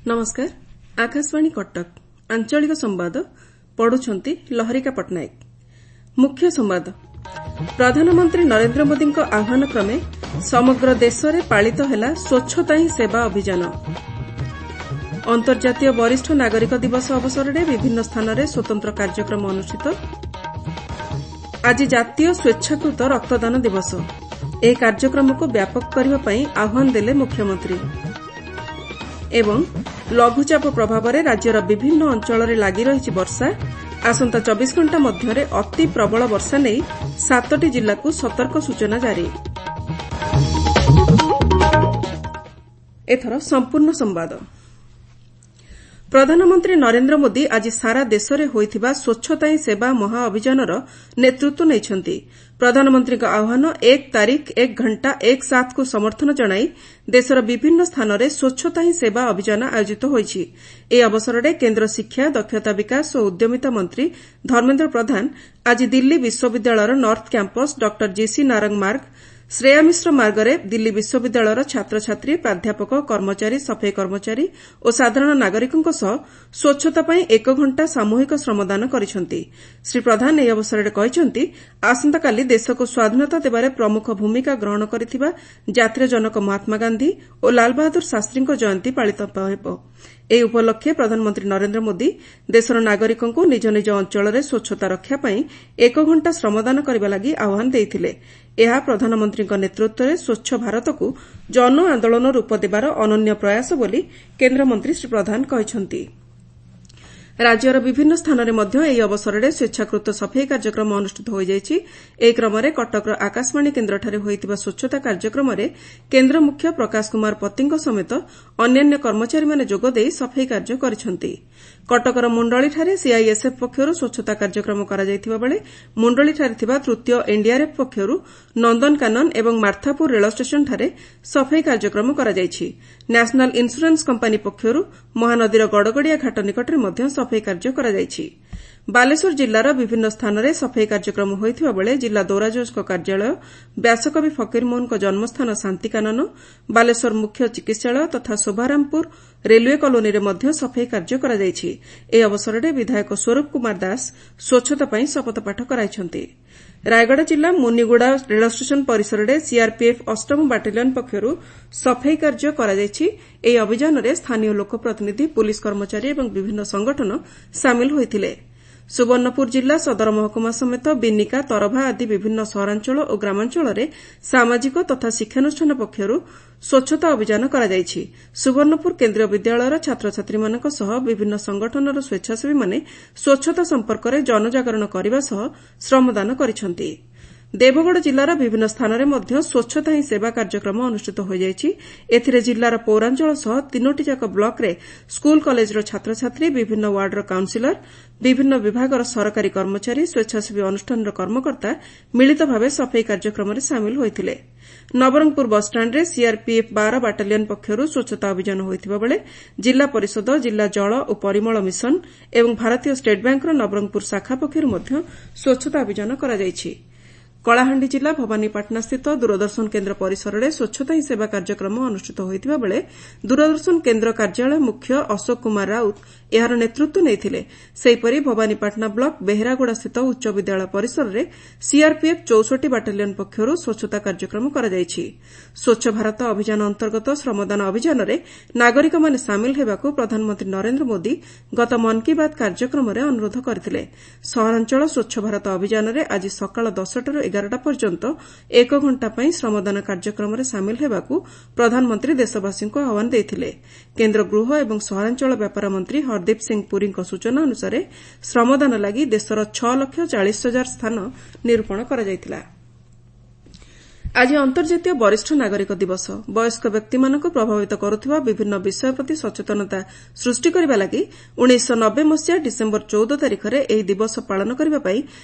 ନମସ୍କାର, ଆକାଶବାଣୀ କଟକ। ଆଞ୍ଚଳିକ ସମ୍ବାଦ ପଢୁଛନ୍ତି ଲହରିକା ପଟ୍ଟନାୟକ। ମୁଖ୍ୟ ସମ୍ବାଦ। ପ୍ରଧାନମନ୍ତ୍ରୀ ନରେନ୍ଦ୍ର ମୋଦିଙ୍କ ଆହ୍ୱାନ କ୍ରମେ ସମଗ୍ର ଦେଶରେ ପାଳିତ ହେଲା ସ୍ୱଚ୍ଛତା ହିଁ ସେବା ଅଭିଯାନ। ଅନ୍ତର୍ଜାତୀୟ ବରିଷ୍ଠ ନାଗରିକ ଦିବସ ଅବସରରେ ବିଭିନ୍ନ ସ୍ଥାନରେ ସ୍ୱତନ୍ତ୍ର କାର୍ଯ୍ୟକ୍ରମ ଅନୁଷ୍ଠିତ। ଆଜି ଜାତୀୟ ସ୍ୱେଚ୍ଛାକୃତ ରକ୍ତଦାନ ଦିବସ। ଏହି କାର୍ଯ୍ୟକ୍ରମକୁ ବ୍ୟାପକ କରିବା ପାଇଁ ଆହ୍ୱାନ ଦେଲେ ମୁଖ୍ୟମନ୍ତ୍ରୀ। ଏବଂ ଲଘୁଚାପ ପ୍ରଭାବରେ ରାଜ୍ୟର ବିଭିନ୍ନ ଅଞ୍ଚଳରେ ଲାଗି ରହିଛି ବର୍ଷା। ଆସନ୍ତା 24 ଘଣ୍ଟା ମଧ୍ୟରେ ଅତି ପ୍ରବଳ ବର୍ଷା ନେଇ ସାତଟି ଜିଲ୍ଲାକୁ ସତର୍କ ସୂଚନା ଜାରି। ଏଥର ସମ୍ପୂର୍ଣ୍ଣ ସମ୍ବାଦ। ପ୍ରଧାନମନ୍ତ୍ରୀ ନରେନ୍ଦ୍ର ମୋଦି ଆଜି ସାରା ଦେଶରେ ହୋଇଥିବା ସ୍ୱଚ୍ଛତା ହିଁ ସେବା ମହା ଅଭିଯାନର ନେତୃତ୍ୱ ନେଇଛନ୍ତି। ପ୍ରଧାନମନ୍ତ୍ରୀଙ୍କ ଆହ୍ୱାନ 'ଏକ ତାରିଖ ଏକ ଘଣ୍ଟା ଏକ ସାଥ୍'କୁ ସମର୍ଥନ ଜଣାଇ ଦେଶର ବିଭିନ୍ନ ସ୍ଥାନରେ ସ୍ୱଚ୍ଛତା ହିଁ ସେବା ଅଭିଯାନ ଆୟୋଜିତ ହୋଇଛି। ଏହି ଅବସରରେ କେନ୍ଦ୍ର ଶିକ୍ଷା, ଦକ୍ଷତା ବିକାଶ ଓ ଉଦ୍ୟମିତା ମନ୍ତ୍ରୀ ଧର୍ମେନ୍ଦ୍ର ପ୍ରଧାନ ଆଜି ଦିଲ୍ଲୀ ବିଶ୍ୱବିଦ୍ୟାଳୟର north campus doctor G C Narang Marg, Shreya Mishra ମାର୍ଗରେ ଦିଲ୍ଲୀ ବିଶ୍ୱବିଦ୍ୟାଳୟର ଛାତ୍ରଛାତ୍ରୀ, ପ୍ରାଧ୍ୟାପକ, କର୍ମଚାରୀ, ସଫେଇ କର୍ମଚାରୀ ଓ ସାଧାରଣ ନାଗରିକଙ୍କ ସହ ସ୍ୱଚ୍ଛତା ପାଇଁ ଏକ ଘଣ୍ଟା ସାମୂହିକ ଶ୍ରମଦାନ କରିଛନ୍ତି। ଶ୍ରୀ ପ୍ରଧାନ ଏହି ଅବସରରେ କହିଛନ୍ତି, ଆସନ୍ତାକାଲି ଦେଶକୁ ସ୍ୱାଧୀନତା ଦେବାରେ ପ୍ରମୁଖ ଭୂମିକା ଗ୍ରହଣ କରିଥିବା ଜାତିର ଜନକ ମହାତ୍ମା ଗାନ୍ଧି ଓ ଲାଲବାହାଦୁର ଶାସ୍ତ୍ରୀଙ୍କ ଜୟନ୍ତୀ ପାଳିତ ହେବ। ଏହି ଉପଲକ୍ଷେ ପ୍ରଧାନମନ୍ତ୍ରୀ ନରେନ୍ଦ୍ର ମୋଦି ଦେଶର ନାଗରିକଙ୍କୁ ନିଜ ନିଜ ଅଞ୍ଚଳରେ ସ୍ୱଚ୍ଛତା ରକ୍ଷା ପାଇଁ ଏକ ଘଣ୍ଟା ଶ୍ରମଦାନ କରିବା ଲାଗି ଆହ୍ୱାନ ଦେଇଥିଲେ। ଏହା ପ୍ରଧାନମନ୍ତ୍ରୀଙ୍କ ନେତୃତ୍ୱରେ ସ୍ୱଚ୍ଛ ଭାରତକୁ ଜନ ଆନ୍ଦୋଳନ ରୂପ ଦେବାର ଅନନ୍ୟ ପ୍ରୟାସ ବୋଲି କେନ୍ଦ୍ରମନ୍ତ୍ରୀ ଶ୍ରୀ ପ୍ରଧାନ କହିଛନ୍ତି। ରାଜ୍ୟର ବିଭିନ୍ନ ସ୍ଥାନରେ ମଧ୍ୟ ଏହି ଅବସରରେ ସ୍ୱେଚ୍ଛାକୃତ ସଫେଇ କାର୍ଯ୍ୟକ୍ରମ ଅନୁଷ୍ଠିତ ହୋଇଯାଇଛି। ଏହି କ୍ରମରେ କଟକର ଆକାଶବାଣୀ କେନ୍ଦ୍ରଠାରେ ହୋଇଥିବା ସ୍ୱଚ୍ଛତା କାର୍ଯ୍ୟକ୍ରମରେ କେନ୍ଦ୍ର ମୁଖ୍ୟ ପ୍ରକାଶ କୁମାର ପତିଙ୍କ ସମେତ ଅନ୍ୟାନ୍ୟ କର୍ମଚାରୀମାନେ ଯୋଗଦେଇ ସଫେଇ କାର୍ଯ୍ୟ କରିଛନ୍ତି। କଟକର ମୁଣ୍ଡଳିଠାରେ ସିଆଇଏସ୍ଏଫ୍ ପକ୍ଷରୁ ସ୍ୱଚ୍ଛତା କାର୍ଯ୍ୟକ୍ରମ କରାଯାଇଥିବା ବେଳେ ମୁଣ୍ଡଳିଠାରେ ଥିବା ତୃତୀୟ ଏନ୍ଡିଆର୍ଏଫ୍ ପକ୍ଷରୁ ନନ୍ଦନକାନନ ଏବଂ ମାର୍ଥାପୁର ରେଳ ଷ୍ଟେସନଠାରେ ସଫେଇ କାର୍ଯ୍ୟକ୍ରମ କରାଯାଇଛି। ନ୍ୟାସନାଲ୍ ଇନ୍ସୁରାନ୍ସ କମ୍ପାନୀ ପକ୍ଷରୁ ମହାନଦୀର ଗଡ଼ଗଡ଼ିଆ ଘାଟ ନିକଟରେ ମଧ୍ୟ ସଫେଇ କାର୍ଯ୍ୟ କରାଯାଇଛି। ବାଲେଶ୍ୱର ଜିଲ୍ଲାର ବିଭିନ୍ନ ସ୍ଥାନରେ ସଫେଇ କାର୍ଯ୍ୟକ୍ରମ ହୋଇଥିବା ବେଳେ ଜିଲ୍ଲା ଦୌରାଜଜଙ୍କ କାର୍ଯ୍ୟାଳୟ, ବ୍ୟାସକବି ଫକୀରମୋହନଙ୍କ ଜନ୍ମସ୍ଥାନ ଶାନ୍ତିକାନନ, ବାଲେଶ୍ୱର ମୁଖ୍ୟ ଚିକିତ୍ସାଳୟ ତଥା ଶୋଭାରାମପୁର ରେଲୱେ କଲୋନୀରେ ମଧ୍ୟ ସଫେଇ କାର୍ଯ୍ୟ କରାଯାଇଛି। ଏହି ଅବସରରେ ବିଧାୟକ ସ୍ୱରୂପ କୁମାର ଦାସ ସ୍ୱଚ୍ଛତା ପାଇଁ ଶପଥପାଠ କରାଇଛନ୍ତି। ରାୟଗଡ଼ା ଜିଲ୍ଲା ମୁନିଗୁଡ଼ା ରେଳଷ୍ଟେସନ ପରିସରରେ ସିଆର୍ପିଏଫ୍ ଅଷ୍ଟମ ବାଟାଲିୟନ ପକ୍ଷରୁ ସଫେଇ କାର୍ଯ୍ୟ କରାଯାଇଛି। ଏହି ଅଭିଯାନରେ ସ୍ଥାନୀୟ ଲୋକପ୍ରତିନିଧି, ପୁଲିସ କର୍ମଚାରୀ ଏବଂ ବିଭିନ୍ନ ସଂଗଠନ ସାମିଲ ହୋଇଥିଲେ। ସୁବର୍ଣ୍ଣପୁର ଜିଲ୍ଲା ସଦର ମହକୁମା ସମେତ ବିନିକା, ତରଭା ଆଦି ବିଭିନ୍ନ ସହରାଞ୍ଚଳ ଓ ଗ୍ରାମାଞ୍ଚଳରେ ସାମାଜିକ ତଥା ଶିକ୍ଷାନୁଷ୍ଠାନ ପକ୍ଷରୁ ସ୍ୱଚ୍ଛତା ଅଭିଯାନ କରାଯାଇଛି। ସୁବର୍ଣ୍ଣପୁର କେନ୍ଦ୍ରୀୟ ବିଦ୍ୟାଳୟର ଛାତ୍ରଛାତ୍ରୀମାନଙ୍କ ସହ ବିଭିନ୍ନ ସଂଗଠନର ସ୍ୱେଚ୍ଛାସେବୀମାନେ ସ୍ୱଚ୍ଛତା ସମ୍ପର୍କରେ ଜନଜାଗରଣ କରିବା ସହ ଶ୍ରମଦାନ କରିଛନ୍ତି। ଦେବଗଡ଼ ଜିଲ୍ଲାର ବିଭିନ୍ନ ସ୍ଥାନରେ ମଧ୍ୟ ସ୍ୱଚ୍ଛତା ହିଁ ସେବା କାର୍ଯ୍ୟକ୍ରମ ଅନୁଷ୍ଠିତ ହୋଇଯାଇଛି। ଏଥିରେ ଜିଲ୍ଲାର ପୌରାଞ୍ଚଳ ସହ ତିନୋଟିଯାକ ବ୍ଲକରେ ସ୍କୁଲ କଲେଜର ଛାତ୍ରଛାତ୍ରୀ, ବିଭିନ୍ନ ୱାର୍ଡର କାଉନ୍ସିଲର, ବିଭିନ୍ନ ବିଭାଗର ସରକାରୀ କର୍ମଚାରୀ, ସ୍ୱେଚ୍ଛାସେବୀ ଅନୁଷ୍ଠାନର କର୍ମକର୍ତ୍ତା ମିଳିତ ଭାବେ ସଫେଇ କାର୍ଯ୍ୟକ୍ରମରେ ସାମିଲ ହୋଇଥିଲେ। ନବରଙ୍ଗପୁର ବସ୍ଷ୍ଟାଣ୍ଡରେ ସିଆର୍ପିଏଫ୍ 12 ବାଟାଲିୟନ ପକ୍ଷରୁ ସ୍ୱଚ୍ଛତା ଅଭିଯାନ ହୋଇଥିବା ବେଳେ ଜିଲ୍ଲା ପରିଷଦ, ଜିଲ୍ଲା ଜଳ ଓ ପରିମଳ ମିଶନ ଏବଂ ଭାରତୀୟ ଷ୍ଟେଟ୍ ବ୍ୟାଙ୍କର ନବରଙ୍ଗପୁର ଶାଖା ପକ୍ଷରୁ ମଧ୍ୟ ସ୍ୱଚ୍ଛତା ଅଭିଯାନ କରାଯାଇଛି। କଳାହାଣ୍ଡି ଜିଲ୍ଲା ଭବାନୀପାଟଣାସ୍ଥିତ ଦୂରଦର୍ଶନ କେନ୍ଦ୍ର ପରିସରରେ ସ୍ୱଚ୍ଛତା ହିଁ ସେବା କାର୍ଯ୍ୟକ୍ରମ ଅନୁଷ୍ଠିତ ହୋଇଥିବା ବେଳେ ଦୂରଦର୍ଶନ କେନ୍ଦ୍ର କାର୍ଯ୍ୟାଳୟ ମୁଖ୍ୟ ଅଶୋକ କୁମାର ରାଉତ ଏହାର ନେତୃତ୍ୱ ନେଇଥିଲେ। ସେହିପରି ଭବାନୀପାଟଣା ବ୍ଲକ ବେହେରାଗୁଡ଼ାସ୍ଥିତ ଉଚ୍ଚ ବିଦ୍ୟାଳୟ ପରିସରରେ ସିଆର୍ପିଏଫ୍ 64 ବାଟାଲିୟନ ପକ୍ଷରୁ ସ୍ୱଚ୍ଛତା କାର୍ଯ୍ୟକ୍ରମ କରାଯାଇଛି। ସ୍ୱଚ୍ଛ ଭାରତ ଅଭିଯାନ ଅନ୍ତର୍ଗତ ଶ୍ରମଦାନ ଅଭିଯାନରେ ନାଗରିକମାନେ ସାମିଲ ହେବାକୁ ପ୍ରଧାନମନ୍ତ୍ରୀ ନରେନ୍ଦ୍ର ମୋଦି ଗତ ମନ୍ କୀ ବାତ୍ କାର୍ଯ୍ୟକ୍ରମରେ ଅନୁରୋଧ କରିଥିଲେ। ସହରାଞ୍ଚଳ ସ୍ୱଚ୍ଛ ଭାରତ ଅଭିଯାନରେ ଆଜି ସକାଳ 10ଟାରୁ 11ଟା ପର୍ଯ୍ୟନ୍ତ ଏକ ଘଣ୍ଟା ପାଇଁ ଶ୍ରମଦାନ କାର୍ଯ୍ୟକ୍ରମରେ ସାମିଲ ହେବାକୁ ପ୍ରଧାନମନ୍ତ୍ରୀ ଦେଶବାସୀଙ୍କୁ ଆହ୍ୱାନ ଦେଇଥିଲେ। କେନ୍ଦ୍ର ଗୃହ ଏବଂ ସହରାଞ୍ଚଳ ବ୍ୟାପାର ମନ୍ତ୍ରୀ ହରଦୀପ ସିଂ ପୁରୀଙ୍କ ସୂଚନା ଅନୁସାରେ ଶ୍ରମଦାନ ଲାଗି ଦେଶର 6 ଲକ୍ଷ 40 ହଜାର ସ୍ଥାନ ନିରୂପଣ କରାଯାଇଥିଲା। ଆଜି ଅନ୍ତର୍ଜାତୀୟ ବରିଷ୍ଠ ନାଗରିକ ଦିବସ। ବୟସ୍କ ବ୍ୟକ୍ତିମାନଙ୍କୁ ପ୍ରଭାବିତ କରୁଥିବା ବିଭିନ୍ନ ବିଷୟ ପ୍ରତି ସଚେତନତା ସୃଷ୍ଟି କରିବା ଲାଗି 1990 ମସିହା ଡିସେମ୍ବର 14 ତାରିଖରେ ଏହି ଦିବସ ପାଳନ କରିବା ପାଇଁ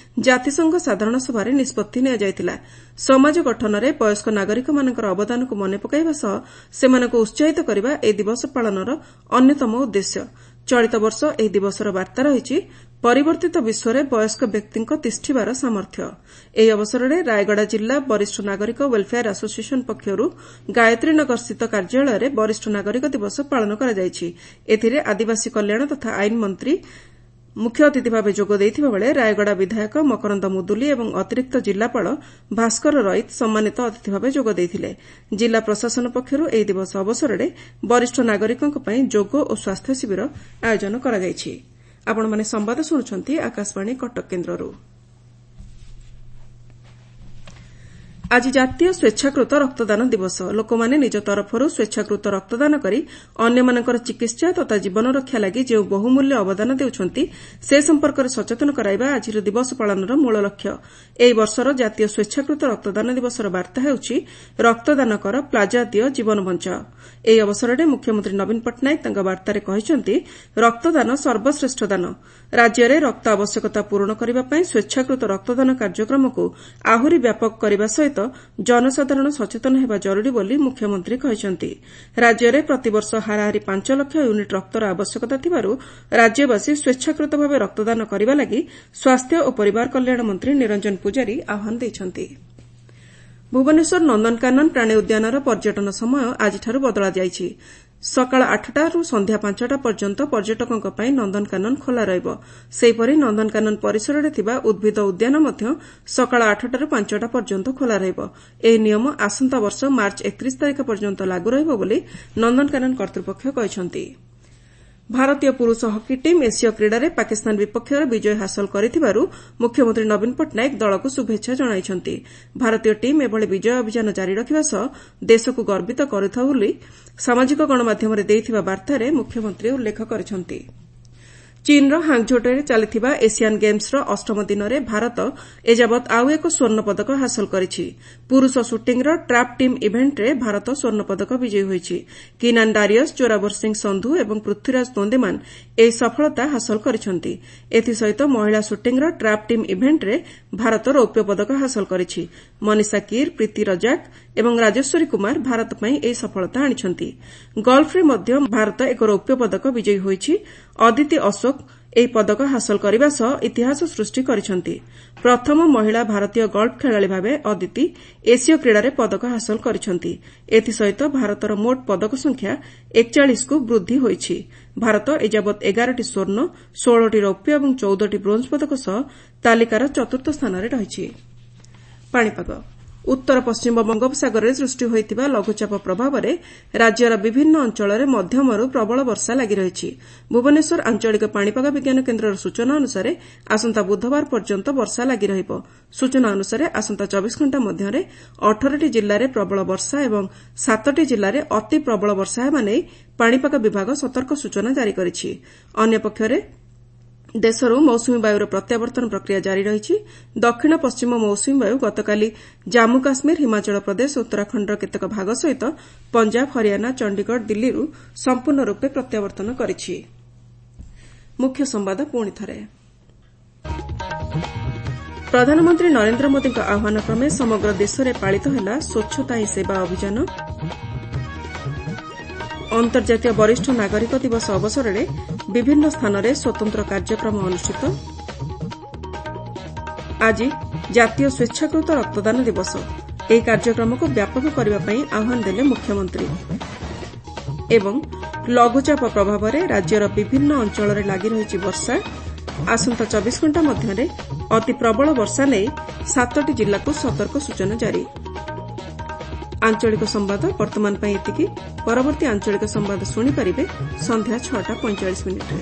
ଜାତିସଂଘ ସାଧାରଣ ସଭାରେ ନିଷ୍ପତ୍ତି ନିଆଯାଇଥିଲା। ସମାଜ ଗଠନରେ ବୟସ୍କ ନାଗରିକମାନଙ୍କର ଅବଦାନକୁ ମନେ ପକାଇବା ସହ ସେମାନଙ୍କୁ ଉତ୍ସାହିତ କରିବା ଏହି ଦିବସ ପାଳନର ଅନ୍ୟତମ ଉଦ୍ଦେଶ୍ୟ। ଚଳିତ ବର୍ଷ ଏହି ଦିବସର ବାର୍ତ୍ତା ରହିଛି ପରିବର୍ତ୍ତିତ ବିଶ୍ୱରେ ବୟସ୍କ ବ୍ୟକ୍ତିଙ୍କ ତିଷ୍ଠିବାର ସାମର୍ଥ୍ୟ। ଏହି ଅବସରରେ ରାୟଗଡ଼ା ଜିଲ୍ଲା ବରିଷ୍ଠ ନାଗରିକ ୱେଲ୍ଫେୟାର ଆସୋସିଏସନ୍ ପକ୍ଷରୁ ଗାୟତ୍ରୀନଗରସ୍ଥିତ କାର୍ଯ୍ୟାଳୟରେ ବରିଷ୍ଠ ନାଗରିକ ଦିବସ ପାଳନ କରାଯାଇଛି। ଏଥିରେ ଆଦିବାସୀ କଲ୍ୟାଣ ତଥା ଆଇନ ମନ୍ତ୍ରୀ ମୁଖ୍ୟ ଅତିଥି ଭାବେ ଯୋଗ ଦେଇଥିବାବେଳେ ରାୟଗଡ଼ା ବିଧାୟକ ମକରନ୍ଦ ମୁଦୁଲି ଏବଂ ଅତିରିକ୍ତ ଜିଲ୍ଲାପାଳ ଭାସ୍କର ରଇତ ସମ୍ମାନିତ ଅତିଥି ଭାବେ ଯୋଗ ଦେଇଥିଲେ। ଜିଲ୍ଲା ପ୍ରଶାସନ ପକ୍ଷରୁ ଏହି ଦିବସ ଅବସରରେ ବରିଷ୍ଠ ନାଗରିକଙ୍କ ପାଇଁ ଯୋଗ ଓ ସ୍ୱାସ୍ଥ୍ୟ ଶିବିର ଆୟୋଜନ କରାଯାଇଛି। ଆପଣମାନେ ସମ୍ବାଦ ଶୁଣୁଛନ୍ତି ଆକାଶବାଣୀ କଟକ କେନ୍ଦ୍ରରୁ। ଆଜି ଜାତୀୟ ସ୍ୱେଚ୍ଛାକୃତ ରକ୍ତଦାନ ଦିବସ। ଲୋକମାନେ ନିଜ ତରଫରୁ ସ୍ୱେଚ୍ଛାକୃତ ରକ୍ତଦାନ କରି ଅନ୍ୟମାନଙ୍କର ଚିକିତ୍ସା ତଥା ଜୀବନ ରକ୍ଷା ଲାଗି ଯେଉଁ ବହୁମୂଲ୍ୟ ଅବଦାନ ଦେଉଛନ୍ତି, ସେ ସମ୍ପର୍କରେ ସଚେତନ କରାଇବା ଆଜିର ଦିବସ ପାଳନର ମୂଳ ଲକ୍ଷ୍ୟ। ଏହି ବର୍ଷର ଜାତୀୟ ସ୍ୱେଚ୍ଛାକୃତ ରକ୍ତଦାନ ଦିବସର ବାର୍ତ୍ତା ହେଉଛି ରକ୍ତଦାନ କର, ପ୍ଲାଜା ଦିଅ, ଜୀବନ ବଞ୍ଚାଅ। ଏହି ଅବସରରେ ମୁଖ୍ୟମନ୍ତ୍ରୀ ନବୀନ ପଟ୍ଟନାୟକ ତାଙ୍କ ବାର୍ତ୍ତାରେ କହିଛନ୍ତି, ରକ୍ତଦାନ ସର୍ବଶ୍ରେଷ୍ଠ ଦାନ। ରାଜ୍ୟରେ ରକ୍ତ ଆବଶ୍ୟକତା ପୂରଣ କରିବା ପାଇଁ ସ୍ୱେଚ୍ଛାକୃତ ରକ୍ତଦାନ କାର୍ଯ୍ୟକ୍ରମକୁ ଆହୁରି ବ୍ୟାପକ କରିବା ସହିତ ଜନସାଧାରଣ ସଚେତନ ହେବା ଜରୁରୀ ବୋଲି ମୁଖ୍ୟମନ୍ତ୍ରୀ କହିଛନ୍ତି। ରାଜ୍ୟରେ ପ୍ରତିବର୍ଷ ହାରାହାରି 5 ଲକ୍ଷ ୟୁନିଟ୍ ରକ୍ତର ଆବଶ୍ୟକତା ଥିବାରୁ ରାଜ୍ୟବାସୀ ସ୍ୱେଚ୍ଛାକୃତ ଭାବେ ରକ୍ତଦାନ କରିବା ଲାଗି ସ୍ୱାସ୍ଥ୍ୟ ଓ ପରିବାର କଲ୍ୟାଣ ମନ୍ତ୍ରୀ ନିରଞ୍ଜନ ପୂଜାରୀ ଆହ୍ୱାନ ଦେଇଛନ୍ତି। ଭୁବନେଶ୍ୱର ନନ୍ଦନକାନନ ପ୍ରାଣୀ ଉଦ୍ୟାନର ପର୍ଯ୍ୟଟନ ସମୟ ଆଜିଠାରୁ ବଦଳାଯାଇଛି। ସକାଳ 8ଟାରୁ ସନ୍ଧ୍ୟା 5ଟା ପର୍ଯ୍ୟନ୍ତ ପର୍ଯ୍ୟଟକଙ୍କ ପାଇଁ ନନ୍ଦନକାନନ ଖୋଲା ରହିବ। ସେହିପରି ନନ୍ଦନକାନନ ପରିସରରେ ଥିବା ଉଦ୍ଭିଦ ଉଦ୍ୟାନ ମଧ୍ୟ ସକାଳ 8ଟାରୁ 5ଟା ପର୍ଯ୍ୟନ୍ତ ଖୋଲା ରହିବ। ଏହି ନିୟମ ଆସନ୍ତା ବର୍ଷ ମାର୍ଚ୍ଚ 31 ତାରିଖ ପର୍ଯ୍ୟନ୍ତ ଲାଗୁ ରହିବ ବୋଲି ନନ୍ଦନକାନନ କର୍ତ୍ତୃପକ୍ଷ କହିଛନ୍ତି। ଭାରତୀୟ ପୁରୁଷ ହକି ଟିମ୍ ଏସୀୟ କ୍ରୀଡ଼ାରେ ପାକିସ୍ତାନ ବିପକ୍ଷରେ ବିଜୟ ହାସଲ କରିଥିବାରୁ ମୁଖ୍ୟମନ୍ତ୍ରୀ ନବୀନ ପଟ୍ଟନାୟକ ଦଳକୁ ଶୁଭେଚ୍ଛା ଜଣାଇଛନ୍ତି। ଭାରତୀୟ ଟିମ୍ ଏଭଳି ବିଜୟ ଅଭିଯାନ ଜାରି ରଖିବା ସହ ଦେଶକୁ ଗର୍ବିତ କରୁଥାଉ ବୋଲି ସାମାଜିକ ଗଣମାଧ୍ୟମରେ ଦେଇଥିବା ବାର୍ତ୍ତାରେ ମୁଖ୍ୟମନ୍ତ୍ରୀ ଉଲ୍ଲେଖ କରିଛନ୍ତି। ଚୀନ୍ର ହାଙ୍ଗ୍ଝୋଠାରେ ଚାଲିଥିବା ଏସିଆନ୍ ଗେମ୍ସର ଅଷ୍ଟମ ଦିନରେ ଭାରତ ଏଯାବତ୍ ଆଉ ଏକ ସ୍ୱର୍ଣ୍ଣ ପଦକ ହାସଲ କରିଛି। ପୁରୁଷ ସୁଟିଂର ଟ୍ରାପ୍ ଟିମ୍ ଇଭେଣ୍ଟରେ ଭାରତ ସ୍ୱର୍ଣ୍ଣ ପଦକ ବିଜୟୀ ହୋଇଛି। କିନାନ୍ ଡାରିୟସ୍, ଜୋରାବର ସିଂ ସନ୍ଧୁ ଏବଂ ପୃଥ୍ୱୀରାଜ ତୋନ୍ଦେମାନ ଏହି ସଫଳତା ହାସଲ କରିଛନ୍ତି। ଏଥିସହିତ ମହିଳା ସୁଟିଂର ଟ୍ରାପ୍ ଟିମ୍ ଇଭେଣ୍ଟରେ ଭାରତ ରୌପ୍ୟ ପଦକ ହାସଲ କରିଛି। ମନିଷା କୀର, ପ୍ରୀତି ରଜାକ ଏବଂ ରାଜେଶ୍ୱରୀ କୁମାର ଭାରତ ପାଇଁ ଏହି ସଫଳତା ଆଣିଛନ୍ତି। ଗଲ୍ଫରେ ମଧ୍ୟ ଭାରତ ଏକ ରୌପ୍ୟ ପଦକ ବିଜୟୀ ହୋଇଛି। ଅଦିତି ଅଶୋକ ଏହି ପଦକ ହାସଲ କରିବା ସହ ଇତିହାସ ସୃଷ୍ଟି କରିଛନ୍ତି। ପ୍ରଥମ ମହିଳା ଭାରତୀୟ ଗଲ୍ଫ ଖେଳାଳି ଭାବେ ଅଦିତି ଏସୀୟ କ୍ରୀଡ଼ାରେ ପଦକ ହାସଲ କରିଛନ୍ତି। ଏଥିସହିତ ଭାରତର ମୋଟ ପଦକ ସଂଖ୍ୟା 41କୁ ବୃଦ୍ଧି ହୋଇଛି। ଭାରତ ଏଯାବତ୍ 11ଟି ସ୍ୱର୍ଣ୍ଣ, 16ଟି ରୌପ୍ୟ ଏବଂ 14ଟି ବ୍ରୋଞ୍ଜ ପଦକ ସହ ତାଲିକାର ଚତୁର୍ଥ ସ୍ଥାନରେ ରହିଛି। ପାଣିପାଗ। ଉତ୍ତର ପଶ୍ଚିମ ବଙ୍ଗୋପସାଗରରେ ସୃଷ୍ଟି ହୋଇଥିବା ଲଘୁଚାପ ପ୍ରଭାବରେ ରାଜ୍ୟର ବିଭିନ୍ନ ଅଞ୍ଚଳରେ ମଧ୍ୟମରୁ ପ୍ରବଳ ବର୍ଷା ଲାଗି ରହିଛି। ଭୁବନେଶ୍ୱର ଆଞ୍ଚଳିକ ପାଣିପାଗ ବିଜ୍ଞାନ କେନ୍ଦ୍ରର ସୂଚନା ଅନୁସାରେ ଆସନ୍ତା ବୁଧବାର ପର୍ଯ୍ୟନ୍ତ ବର୍ଷା ଲାଗି ରହିବ। ସୂଚନା ଅନୁସାରେ ଆସନ୍ତା 24 ଘଣ୍ଟା ମଧ୍ୟରେ 18ଟି ଜିଲ୍ଲାରେ ପ୍ରବଳ ବର୍ଷା ଏବଂ 7ଟି ଜିଲ୍ଲାରେ ଅତି ପ୍ରବଳ ବର୍ଷା ହେବା ନେଇ ପାଣିପାଗ ବିଭାଗ ସତର୍କ ସୂଚନା ଜାରି କରିଛି। ଅନ୍ୟପକ୍ଷରେ ଦେଶରୁ ମୌସୁମୀ ବାୟୁର ପ୍ରତ୍ୟାବର୍ତ୍ତନ ପ୍ରକ୍ରିୟା ଜାରି ରହିଛି। ଦକ୍ଷିଣ ପଶ୍ଚିମ ମୌସୁମୀ ବାୟୁ ଗତକାଲି ଜାମ୍ମୁ କାଶ୍ମୀର, ହିମାଚଳ ପ୍ରଦେଶ, ଉତ୍ତରାଖଣ୍ଡର କେତେକ ଭାଗ ସହିତ ପଞ୍ଜାବ, ହରିୟାଣା, ଚଣ୍ଡିଗଡ଼, ଦିଲ୍ଲୀରୁ ସମ୍ପୂର୍ଣ୍ଣ ରୂପେ ପ୍ରତ୍ୟାବର୍ତ୍ତନ କରିଛି। ମୁଖ୍ୟ ସମ୍ବାଦ ପୁଣି ଥରେ। ପ୍ରଧାନମନ୍ତ୍ରୀ ନରେନ୍ଦ୍ର ମୋଦିଙ୍କ ଆହ୍ୱାନ କ୍ରମେ ସମଗ୍ର ଦେଶରେ ପାଳିତ ହେଲା ସ୍ୱଚ୍ଛତା ହିଁ ସେବା ଅଭିଯାନ। ଅନ୍ତର୍ଜାତୀୟ ବରିଷ୍ଠ ନାଗରିକ ଦିବସ ଅବସରରେ ବିଭିନ୍ନ ସ୍ଥାନରେ ସ୍ୱତନ୍ତ୍ର କାର୍ଯ୍ୟକ୍ରମ ଅନୁଷ୍ଠିତ। ଆଜି ଜାତୀୟ ସ୍ୱେଚ୍ଛାକୃତ ରକ୍ତଦାନ ଦିବସ। ଏହି କାର୍ଯ୍ୟକ୍ରମକୁ ବ୍ୟାପକ କରିବା ପାଇଁ ଆହ୍ୱାନ ଦେଲେ ମୁଖ୍ୟମନ୍ତ୍ରୀ। ଏବଂ ଲଘୁଚାପ ପ୍ରଭାବରେ ରାଜ୍ୟର ବିଭିନ୍ନ ଅଞ୍ଚଳରେ ଲାଗି ରହିଛି ବର୍ଷା। ଆସନ୍ତା 24 ଘଣ୍ଟା ମଧ୍ୟରେ ଅତି ପ୍ରବଳ ବର୍ଷା ନେଇ 7ଟି ଜିଲ୍ଲାକୁ ସତର୍କ ସୂଚନା ଜାରି। ଆଞ୍ଚଳିକ ସମ୍ବାଦ ବର୍ତ୍ତମାନ ପାଇଁ ଏତିକି। ପରବର୍ତ୍ତୀ ଆଞ୍ଚଳିକ ସମ୍ବାଦ ଶୁଣିପାରିବେ ସନ୍ଧ୍ୟା 6ଟା 45 ମିନିଟ୍ରେ।